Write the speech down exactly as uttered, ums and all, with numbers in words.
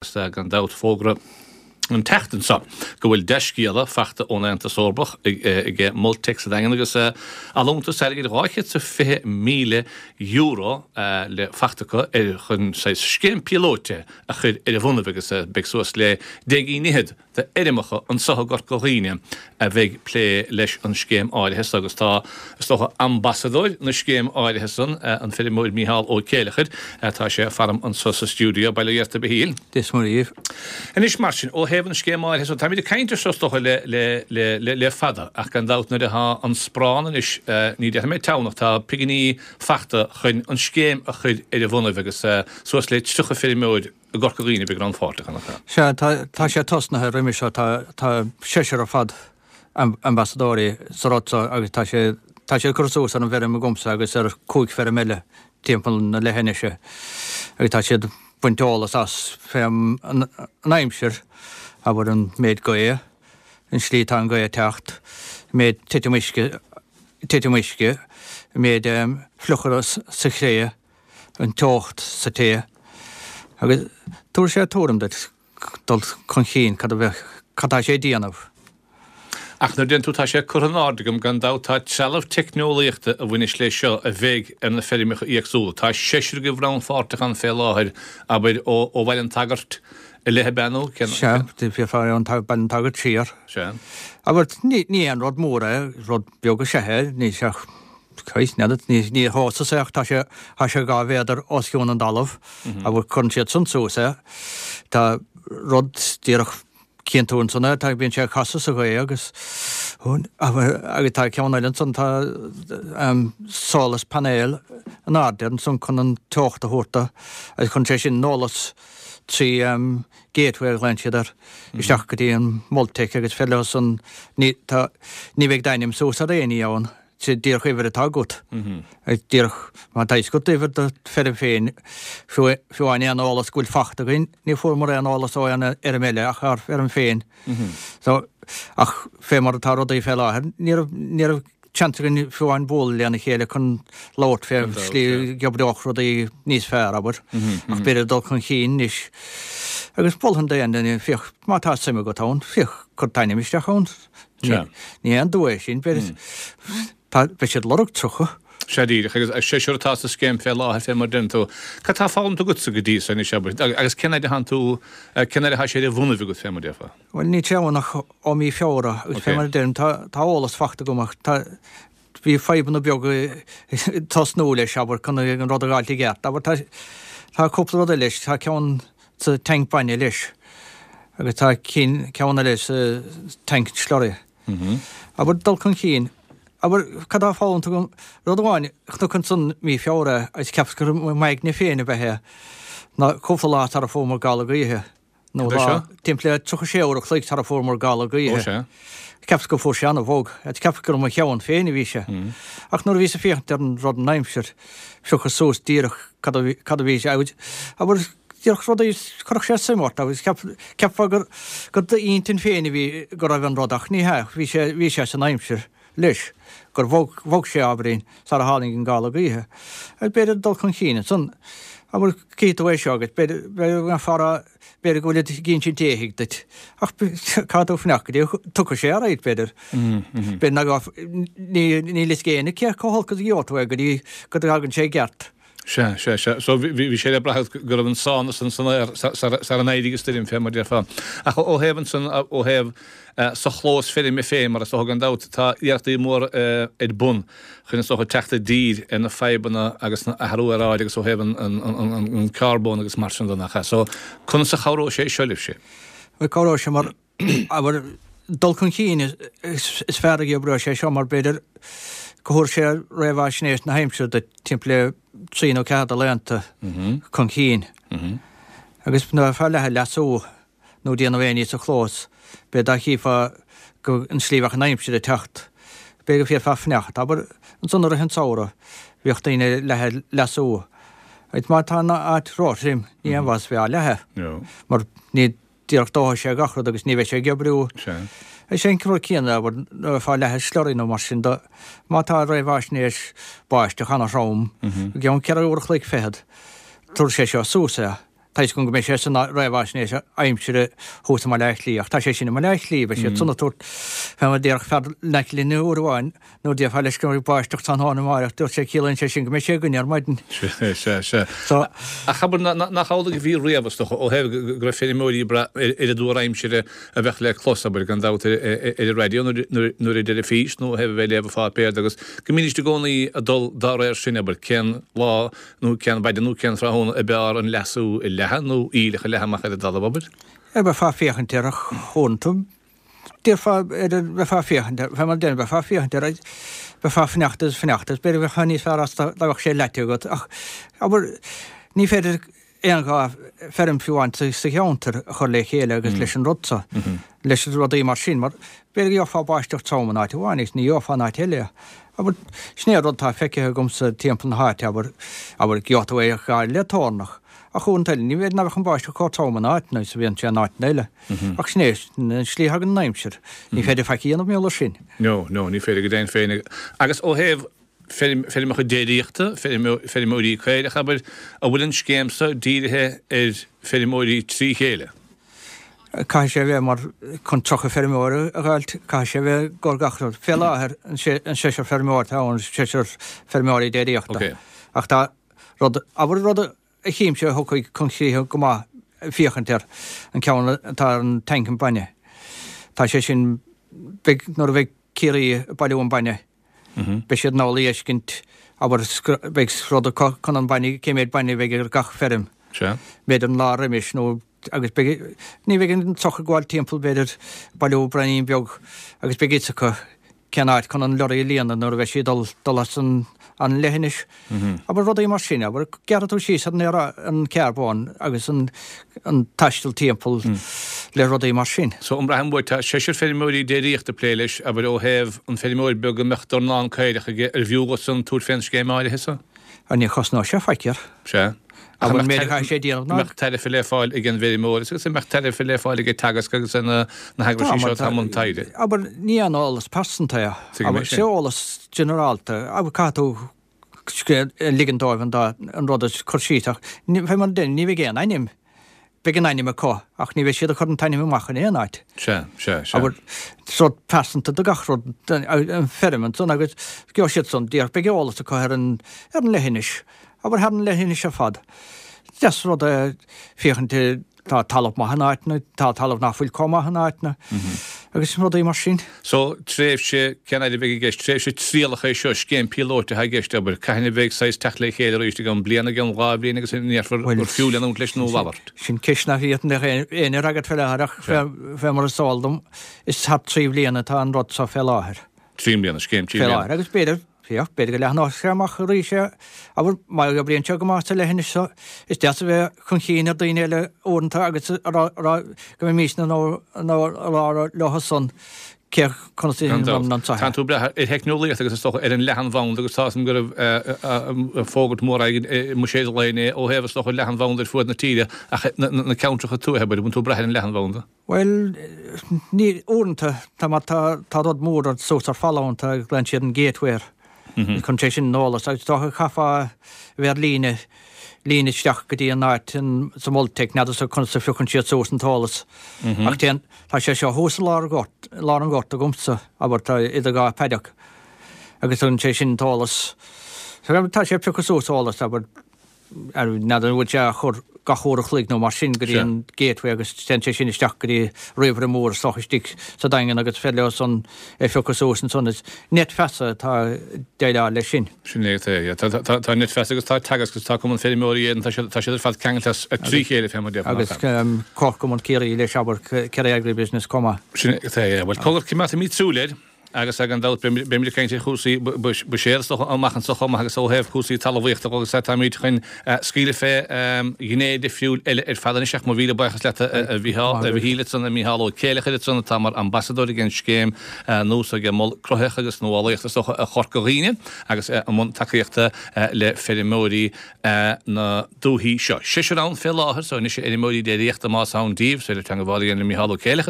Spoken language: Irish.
Gan dabht, fógra an tseachtain seo go bhfuil dea-scéala fachta ón Aontas Eorpach ag Multec sa Daingean agus allúntas airgid dhá chéad is fiche míle euro le fachta acu ar chun saghas scéim píolóite a chur ar a bhonnaibh agus beidh suas le deich gcinn fhichead d'fheirmeacha anso i gCorca Dhuibhne a bheidh plé leis an scéim áirithe so agus tá, is dócha, ambasadóir na scéim áirithe san, an feirmeoir Mícheál Ó Céileachair, tá sé faram anso sa stiúideo. Bail ó Dhia ort, a Mhichíl. Dia is Muire dhaoibh. Anois mar sin, ó thaobh an scéim áirithe so, táimid ag caint air seo is dócha le, le, le, le, le fada ach gan dabht nuair atá an sparán anois, ní déarfaidh mé teann ach tá piginí fachta chun an scéim a chur ar a bhonnaibh agus suas le tríocha feirmeoir i gCorca Dhuibhne a bheidh rannpháirteach ann, nach ea? Sea, tá, tá sé tosnaithe roimhe seo, tá, tá seisear ar fad ambasadóirí sa rud seo agus tá sé, tá siad curtha suas ar an bhfeirm agamsa agus ar cúig feirm eile timpeall na leithinise agus tá siad baint eolas as fé an, an aimsir, abair an méid gaoth, an slí atá an gaoth ag teacht, an méid titim uisce, titim uisce, an méid fliuchadh sa chré. an teocht sa tae agus tabharfaidh sé tuairim duit dul chun cinn cad a bheadh, cad tá sé ag déanamh. Ach nuair a deireann tú tá sé curtha in airde agam, gan dabht tá trealamh teicneolaíochta a bhaineas leis seo a bheidh ar na feirmeacha éagsúla. Tá seisear agaibh rannpháirteach ann fé láthair, abair, ó ó Bhaile an tSagairt i leith ab ea nó cén. Sea, bhí ón Baile an tSagairt siar. Sea. Abair, ní ní aon rud mór é, rud beag is ea é, ní sé ach Christ, n'fheadar, ní, ní thomhas é ach tá sé, tá sé dhá mhéadar os cionn an dtalamh agus cuireann siad san suas é. Tá rud díreach cíonn tú ansan é, tá, bíonn sé ag casadh sa ghaoth agus, agus tá ceann eile ansan, tá solar panel in airde ansan chun an teocht a thabhairt do agus cuireann sé sin an eolas trí gateway a ghlaonn siad air isteach go dtí an Multec agus féidir leo san, ní, tá, ní bheidh d'ainm suas ar aon ní ann. Sé díreach uimhir atá agat. Díreach má tá fhios agat uimhir do feirm féin, fiú amháin aon eolas go bhfuil fachta againn, ní fuaireamar aon eolas ó aon fheirm eile ach ár bhfeirm féin. So, ach fé mar atá rudaí fé láthair, ní raibh, ní raibh seans againn fiú amháin bualadh lena chéile chun labhairt fé shlí go oibreodh rudaí níos fearr, abair. Ach b'fhéidir dul chun cinn anois. Agus mholfainn d'aon duine, féach, má tá suim agat ann, féach, cuir t'ainm isteach ann. Ní haon dua é sin, beidh siad lorg tríocha. Sea díreach, agus seisear atá sa scéim fé láthair, fé mar a deireann tú. Cad tá foghlamtha agatsa go dtí so anois, abair, agus cén fhaid a thánn tú, cén fhaid atá sé ar a bhonnaibh agat, fé mar a déarfá? Bhuel, níl sé ann ach ó mí Feabhra, agus fé mar a deirim, tá eolas fachta agam ach tá, bhí fadhbanna beaga ag tosnú leis, abair, chun an rud a fháilt i gceart. Abair, tá, tá cúpla rud eile leis, tá ceann sa tanc bainne leis. Agus tá ceann eile sa tanc slurry. Abair dul chun cinn. Abair, cad tá foghlamtha agam? Rud amháin, chonac ansan mí Feabhra agus cheapas gur i m'aigne féin ab ea é, ná cúpla lá sara fuaireamar gála gaoithe. Nó lá, timpeall le tríocha sé uair a chloig sara fuaireamar gála gaoithe. Cheapas go fuair sé ana-bhog. Agus cheapas gur i mo cheann féin a bhí sé. Ach nuair a bhíos ag féachaint ar an rud an aimsir, phiocas suas díreach cad a bhí sé. Abair, Díreach rudaí, chuirfeadh sé suim ort agus cheapfá gur gur d'intinn féin a bhí go raibh an rud ach ní hea, bhí sé bhí sé san aimsir leis, gur bhog bhog sé ábhairín sara tháinig an gála gaoithe. Agus b'fhéidir dul chun cinn ansan, abair, cífidh tú é seo agus b'fhéidir b'fhéidir go mbeifeá a rá b'fhéidir go bhfuilid ag insint éithigh duit ach caithfidh tú fanacht go dtí go dtiocfaidh sé ar aghaidh b'fhéidir. B'fhéidir nach ní níl fhios ag éinne cé chomh holc is a gheobhaidh tú é go dtí go dtagann sé i gceart. Sea, sea, sea. So bhí sé le brath go raibh an sánas san san aer sara n-éirigh an stoirm, fé mar déarfá. Ach ó thaobh ansan, ó thaobh sa chlós feirme féin, mar is dócha gan dabht, tá iarrachtaí móra ar bun chun is dócha teacht i dtír ar na fadhbanna agus an athrú aeráide agus ó thaobh an carbón agus mar sin de, nach ea? So conas a chabhróidh sé seo libhse? Bhuel, cabhróidh sé mar, abair, dul chun cinn is fearr a oibreoidh sé seo mar b'fhéidir go thabharfaidh sé réamhaisnéis na haimsire duit timpeall le trí nó ceathair de laethanta chun cinn. Agus nuair atá leath ag leasú nó déanamh aon ní sa chlós, b'fhéidir dá chífeá go an slí bheadh an aimsir ag teacht, b'fhéidir go bhféadfá fanacht. Abair, ansan i rith an tsamhraidh, bhíodh daoine leath ag leasú. Agus má tá an áit róthrim, ní haon mhaitheas bheith á leathadh. Mar ní díreach dófaidh sé gach rud agus ní bheidh sé ag oibriú. Is é an rud céanna, abair, nuair atá leathadh slurry nó mar sin de, má tá réamhaisnéis báisteach ana-throm, i gceann ceithre uair a chloig fichead, tabharfaidh sé seo suas é Tá fhios agam go mbeidh sé san réamhaisnéis aimsire thuas i mBaile Átha Cliath, ach tá sé sin i mBaile Átha Cliath, beidh siad san ag tabhairt fé mar a déarfadh fear in aice linn uair amháin nuair a déarfá leis go mbeidh báisteach tráthnóna amáireach, dúirt sé ciallaíonn sé sin go mbeidh sé againne ar maidin. Sea, sea, sea. So. Ach abair, nach amhlaidh a bhí riamh, is dócha, ó thaobh go raibh feirmeoirí ag brath ar an dtuar aimsire a bheadh le clos, abair, gan dabht, ar an raidió nó ar an dteilifís nó ó thaobh a bheith ag léamh an pháipéir agus go mbídís i gcónaí ag dul dá réir sin, abair, cén lá nó cén mhaidin nó cén tráthnóna ab fhearr an leasú a leathadh nó aoileach a leathadh amach ar an dtalamh, abair. Bheifeá ag féachaint air ach uaireanta déarfá ar an bheifeá ag féachaint air, fé mar a deirim, bheifeá ag féachaint air, bheifeá ag fanacht is fanacht is b'fhéidir bheifeá níos fearr as dá mbeadh sé leaite agat ach abair ní féidir aon dhá feirm fiú amháin sa cheantar a chur le chéile agus leis an rud so, leis na rudaí mar sin, mar b'fhéidir go gheofá báisteach trom in áit amháin agus ní gheofá in áit eile. Abair, sin é an rud atá feicthe agamsa timpeall na háite, abair, abair, gheobhaidh tú é gar le toirneach, ach uaireanta eile, ní b'fhéidir nach mbeadh an báisteach chomh trom in áiteanna is a bhíonn sé in áiteanna eile. Ach sin é, sin an slí a thagann an aimsir. Ní féidir faic a dhéanamh mar gheall air sin. No, no, ní féidir go deimhin féin. Agus ó thaobh feirmeacha déiríochta, feirmeoirí caorach, abair, an bhfuil an scéim seo dírithe ar feirmeoirí trí chéile? Caithfidh sé a bheith mar, chun tríocha feirmeoir a dh'fháilt, caithfidh sé a bheith i gcomhair gach rud. Fé láthair, an seisear feirmeoir atá ann, seisear feirmeoirí déiríochta. Ach tá rud, abair rud a chímse a thiocfaidh chun críche go maith féachaint air, an ceann atá ar an tanc an bainne. Tá sé sin, beidh, nuair a bheidh Ciarraí ag bailiú an bainne, Beidh siad in ann a fheiscint, abair, beidh rud acu chun an bainne, cé méid bainne a bheidh ar gach feirm, b'fhéidir an lá roimis nó agus beidh, ní bheidh an truc ag gabháil timpeall, b'fhéidir, bailiú braoinín beag agus beidh fhios acu cén áit chun an lorry a líonadh nuair a bheidh sí ag dul, dul as an, an leithinis. Abair rudaí mar sin, abair, gearrfaidh tú síos ar an, ar an carbón agus an, an taisteal timpeall le rudaí mar sin. So an mbraithim uait, tá seisear feirmeoirí déiríochta ag plé leis, abair ó thaobh an feirmeoir beag a mbeadh dornán caorach aige, arbh fhiú dhósan tabhairt fén scéim áirithe so? Á ní chosnóidh sé faic air. Sea. Ach an méid a chaithfidh sé déanamh ná. An mbeadh tairbhe le fáil ag an bhfeirmeoir agus an mbeadh tairbhe le fáil ag Teagasc agus na heagraisí seo atá i mbun taighde? Abair, ní aon eolas pearsanta é. Tuigim é sin. Abair, eolas ginearálta. Abair, caithfidh tú ligean dóibh an dá, an rud a chur síos ach fé mar a deirim, ní bheidh aon ainm, beidh an ainm acu ach ní bheidh siad ag cur an t-ainm amach in aon áit. Sea, sea, sea. Abair, is rud pearsanta do gach rud, an feirm ansan agus gheobhaidh siad san, díreach beidh eolas acu ar an, ar an leithinis, abair thar an leithinis ar fad. Deas rud é féachaint Tá talamh maith in áiteanna, tá talamh nach bhfuil chomh maith in áiteanna agus rudaí mar sin. So, tréimhse, cén fhaid a bheidh i gceist? Tréimhse trialach é seo, scéim píolóite atá i gceist, abair. Cathain a bheidh saghas teacht le chéile arís, i gceann bliana, i gceann dhá bhliain agus an ndéarfar gur fiú leanúint leis nó a mhalairt? Sin ceist nach bhféadfainn éinne a fhreagairt fé láthair ach fé mar is eol dom, is thart trí bhliana atá an rud seo fé láthair. Trí mbliana, scéim trí Fé bliana. láthair agus b'fhéidir, féach, b'fhéidir go leathnóidh sé amach arís é, abair, má oibríonn sé go maith sa leithinis seo, is deas a bheith chun chinn ar daoine eile uaireanta agus a rá, a rá go mbeimis in ann a rá leo san cé conas a Gan dabht. dhéanann an Tá tú ag brath ar theicneolaíocht agus is dócha ar an leathanbhanda agus tá 'fhios a'm go raibh fógairt mór againn i mbuiséad an lae inné ó thaobh is dócha leathanbhanda ar fuaid na tíre ach na ceantracha tuaithe, abair, an bhfuil tú ag brath ar an leathanbhanda? Bhuel, ní, uaireanta, tá mar tá, tá rud mór ar suas ar falla uaireanta agus glaonn siad an gateway air. Cuireann sé sin an eolas agus is dócha chaithfeá a bheith ar líne, líne isteach go dtí an áit in, sa Multec, n'fheadar sa conas a phiocann siad suas an t-eolas. Ach téann, tá sé seo thuas i lár an ghort, i lár an ghort agamsa, abair, tá idir dhá paddock agus tugann sé sin an t-eolas. Tá sé ag piocadh suas eolas, abair, N'fheadar an bhfuil sé á chur gach uair a chloig nó mar sin go dtí an gateway agus téann sé sin isteach go dtí ríomhaire mór is dócha istigh sa Daingean agus féidir leo san é a phiocadh suas ansan. Is Net Feasa atá ag déileáil leis sin. Sin é atá, yeah. Tá, tá, tá Net Feasa agus tá Teagasc agus tá Cumann Feirmeoirí Éireann, tá siad, tá siad ar fad ceangailte as trí chéile fé mar a déarfá, Agus Comharchumann Ciarraí leis, abair, Kerry Agribusiness chomh maith. Sin é atá, yeah. Bhuel, cogar, coimeádfaimid súil air. Agus gan dabht beimid ag caint ar chúrsaí buiséid is dócha amach anseo chomh maith agus ó thaobh cúrsaí talmhaíochta de agus táimid chun scaoileadh fé ghné difriúil eile ar fad anois ach mo mhíle buíochas leat a Mhichíl ansan, a Mhícheál Ó Céileachair ansan atá mar ambasadóir ag an scéim nua seo ag Mol Cruthaitheach agus Nuálaíochta is dócha Chorca Dhuibhne agus i mbun tacaíochta le feirmeoirí na dúthaí seo. Seisear ann fé láthair so anois a fheirmeoirí déiríochta más ann díbh, is féidir teangmháil a dhéanamh le Mícheál Ó Céileachair.